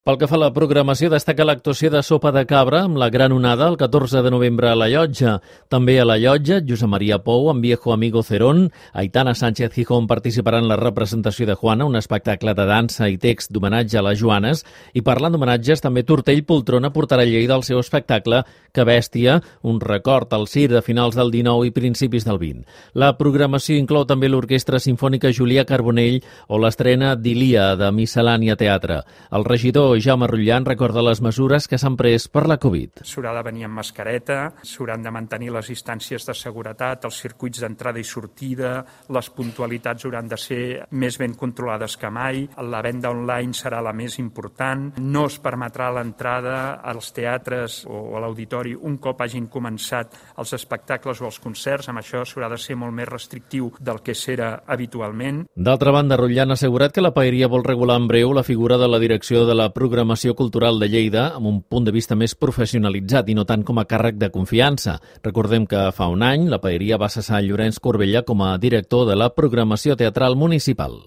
Pel que fa a la programació, destaca l'actuació de Sopa de Cabra amb la Gran Onada el 14 de novembre a la Llotja. També a la Llotja, Josep Maria Pou amb Viejo Amigo Cerón, Aitana Sánchez Gijón participaran en la representació de Juana, un espectacle de dansa i text d'homenatge a les Joanes, i parlant d'homenatges, també Tortell Poltrona portarà a Lleida el seu espectacle Que Bèstia, un record al circ de finals del 19 i principis del 20. La programació inclou també l'Orquestra Simfònica Julià Carbonell o l'estrena d'Ilia de Miscel·lània Teatre. El regidor Jaume Rullan recorda les mesures que s'han pres per la Covid. S'haurà de venir amb mascareta, s'hauran de mantenir les distàncies de seguretat, els circuits d'entrada i sortida, les puntualitats hauran de ser més ben controlades que mai, la venda online serà la més important, no es permetrà l'entrada als teatres o a l'auditori un cop hagin començat els espectacles o els concerts, amb això s'haurà de ser molt més restrictiu del que s'era habitualment. D'altra banda, Rullan ha assegurat que la paeria vol regular en breu la figura de la direcció de la programació cultural de Lleida amb un punt de vista més professionalitzat i no tant com a càrrec de confiança. Recordem que fa un any la paeria va cessar Llorenç Corbella com a director de la programació teatral municipal.